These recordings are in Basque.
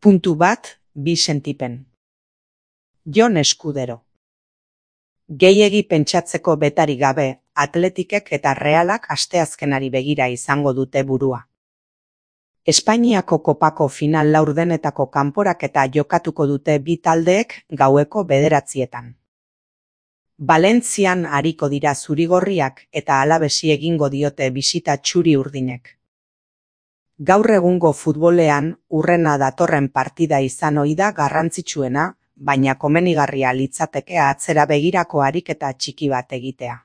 Puntu bat, bi sentipen. Jon Eskudero. Gehiegi pentsatzeko betari gabe, Atletikek eta Realak asteazkenari begira izango dute burua. Espainiako kopako final laurdenetako kanporaketa jokatuko dute bi taldeek gaueko 9:00. Valentzian ariko dira zurigorriak eta Alavesi egingo diote bisita txuri-urdinek. Gaur egungo futbolean hurrena datorren partida izan ohi da garrantzitsuena, baina komenigarria litzateke atzera begirako ariketa txiki bat egitea.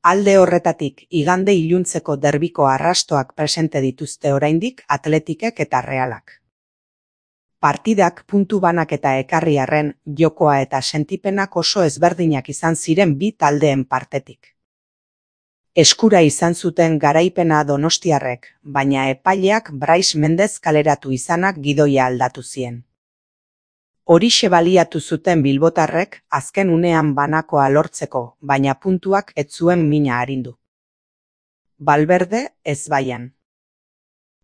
Alde horretatik, igande iluntzeko derbiko arrastoak presente dituzte oraindik Atletikek eta Realak. Partidak puntu banaketa ekarri arren, jokoa eta sentipenak oso ezberdinak izan ziren bi taldeen partetik. Eskura izan zuten garaipena donostiarrek, baina epaileak Brais Mendez kaleratu izanak gidoia aldatu zien. Horixe baliatu zuten bilbotarrek azken unean banakoa lortzeko, baina puntuak ez zuen mina arindu. Valverde ezbaian.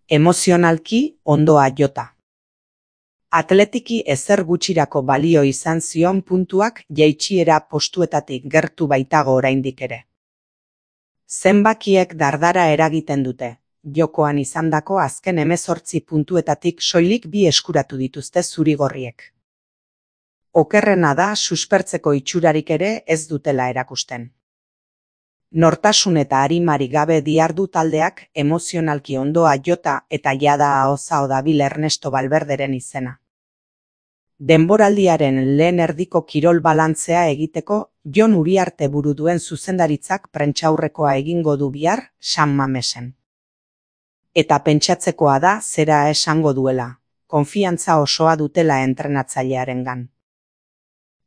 Emozionalki ondoa jota. Atletiki ezer gutxirako balio izan zion puntuak jaitsiera postuetatik gertu baitago oraindik ere. Zenbakiek dardara eragiten dute, jokoan izandako azken 18 puntuetatik soilik 2 eskuratu dituzte zurigorriek. Okerrena da suspertzeko itxurarik ere ez dutela erakusten. Nortasun eta arimari gabe dihardu taldeak emozionalki ondoa jota eta jada ahozao dabil Ernesto Valverderen izena. Denboraldiaren lehen erdiko kirol balantzea egiteko Jon Uriarte buru duen zuzendaritzak prentsaurrekoa egingo du bihar San Mamesen. Eta pentsatzekoa da zera esango duela, konfiantza osoa dutela entrenatzailearengan.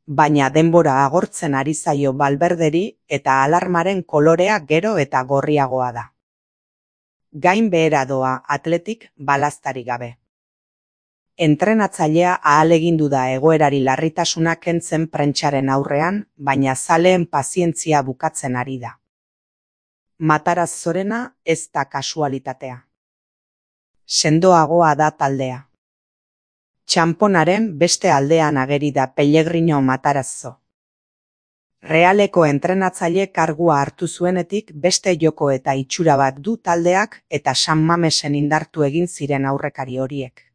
Baina denbora agortzen ari zaio Valverderi eta alarmaren kolorea gero eta gorriagoa da. Gain behera doa Atletik balaztari gabe. Entrenatzailea ahalegindu da egoerari larritasuna kentzen prentsaren aurrean, baina zaleen pazientzia bukatzen ari da. Mataraz Zorena ez da kasualitatea. Sendoagoa da taldea. Txanponaren beste aldean ageri da Pellegrino Matarazzo. Realeko entrenatzaile kargua hartu zuenetik beste joko eta itxura bat du taldeak eta San Mamesen indartu egin ziren aurrekari horiek.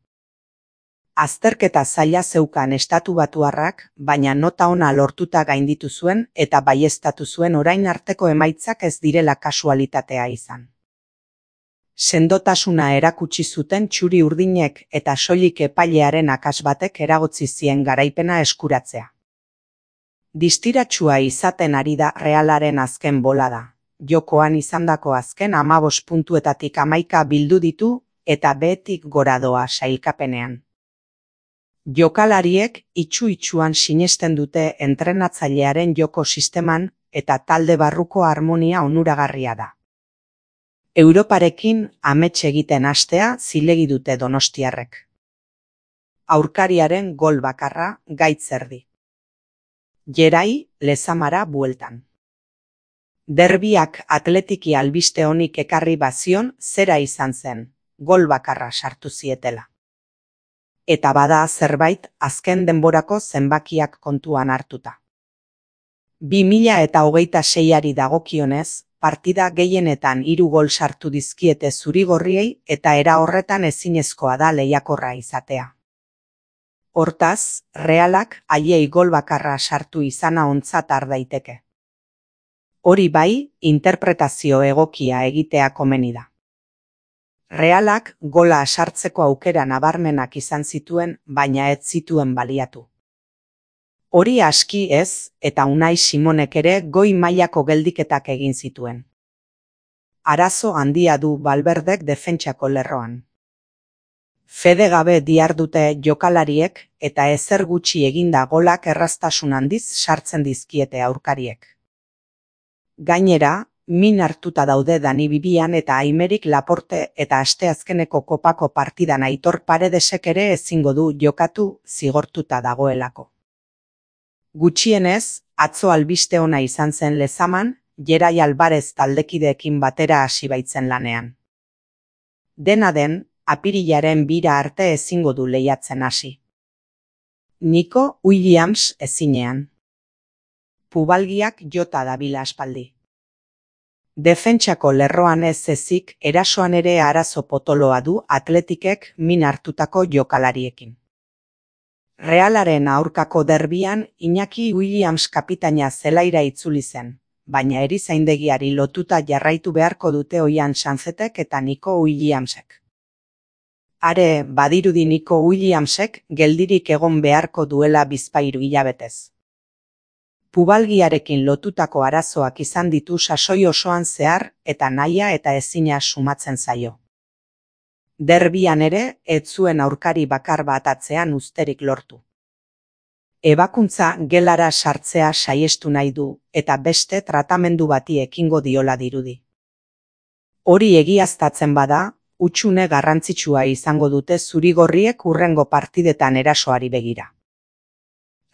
Azterketa zaila zeukan estatubatuarrak, baina nota ona lortuta gainditu zuen eta baieztatu zuen orain arteko emaitzak ez direla kasualitatea izan. Sendotasuna erakutsi zuten txuri-urdinek eta soilik epailearen akats batek eragotzi zien garaipena eskuratzea. Distiratsua izaten ari da Realaren azken bolada. Jokoan izandako azken 15 puntuetatik 11 bildu ditu eta behetik gora doa sailkapenean. Jokalariek itxu-itxuan sinesten dute entrenatzailearen joko sisteman eta talde barruko harmonia onuragarria da. Europarekin amets egiten hastea zilegi dute donostiarrek. Aurkariaren gol bakarra gaitz erdi. Gerai Lezamara bueltan. Derbiak Atletiki albiste honik ekarri bazion zera izan zen, gol bakarra sartu zietela. Eta bada zerbait azken denborako zenbakiak kontuan hartuta. 2026ari dagokionez, partida gehienetan 3 gol sartu dizkiete zurigorriei eta era horretan ezinezkoa da lehiakorra izatea. Hortaz, Realak haiei gol bakarra sartu izana ontzat har daiteke. Hori bai, interpretazio egokia egitea komeni da. Realak gola sartzeko aukera nabarmenak izan zituen, baina ez zituen baliatu. Hori aski ez, eta Unai Simonek ere goi mailako geldiketak egin zituen. Arazo handia du Valverdek defentsako lerroan. Fede gabe dihardute jokalariek eta ezer gutxi eginda golak erraztasun handiz sartzen dizkiete aurkariek. Gainera, min hartuta daude Dani Bibian eta Aimerik Laporte eta asteazkeneko kopako partidan Aitor Paredesek ere ezingo du jokatu zigortuta dagoelako. Gutxienez, atzo albiste ona izan zen Lezaman, Gerai Alvarez taldekideekin batera hasi baitzen lanean. Dena den, apirilaren 2 arte ezingo du lehiatzen hasi. Nico Williams ezinean. Pubalgiak jota dabila aspaldi. Defentsako lerroan ez ezik, erasoan ere arazo potoloa du Atletikek min hartutako jokalariekin. Realaren aurkako derbian Iñaki Williams kapitaina zelaira itzuli zen, baina erizaindegiari lotuta jarraitu beharko dute Oian Sanzetek eta Nico Williamsek. Are, badirudi Nico Williamsek geldirik egon beharko duela bizpahiru hilabetez. Pubalgiarekin lotutako arazoak izan ditu sasoi osoan zehar eta nahia eta ezina sumatzen zaio. Derbian ere, ez zuen aurkari bakar bat atzean uzterik lortu. Ebakuntza gelara sartzea saiestu nahi du eta beste tratamendu bati ekingo diola dirudi. Hori egiaztatzen bada, hutsune garrantzitsua izango dute zurigorriek hurrengo partidetan erasoari begira.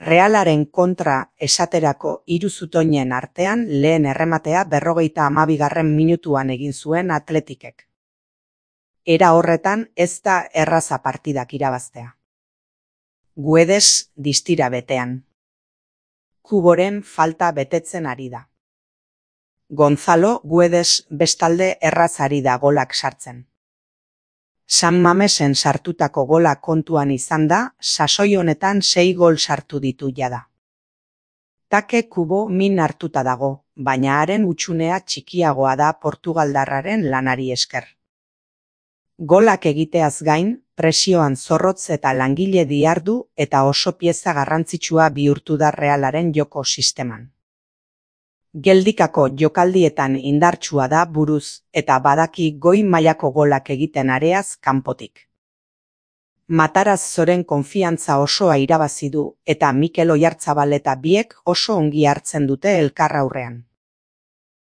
Realaren kontra esaterako 3 zutoinen artean lehen errematea 52. minutuan egin zuen Atletikek. Era horretan ez da erraza partidak irabaztea. Guedes distira betean. Kuboren falta betetzen ari da. Gonzalo Guedes bestalde erraz ari da golak sartzen. San Mamesen sartutako gola kontuan izan da, sasoi honetan 6 gol sartu ditu jada. Take Kubo min hartuta dago, baina haren hutsunea txikiagoa da portugaldarraren lanari esker. Golak egiteaz gain, presioan zorrotz eta langile dihardu eta oso pieza garrantzitsua bihurtu da Realaren joko sisteman. Geldikako jokaldietan indartsua da buruz eta badaki goi mailako golak egiten areaz kanpotik. Mataraz Zoren konfiantza osoa irabazi du eta Mikel Oyarzabal eta biek oso ongi hartzen dute elkar aurrean.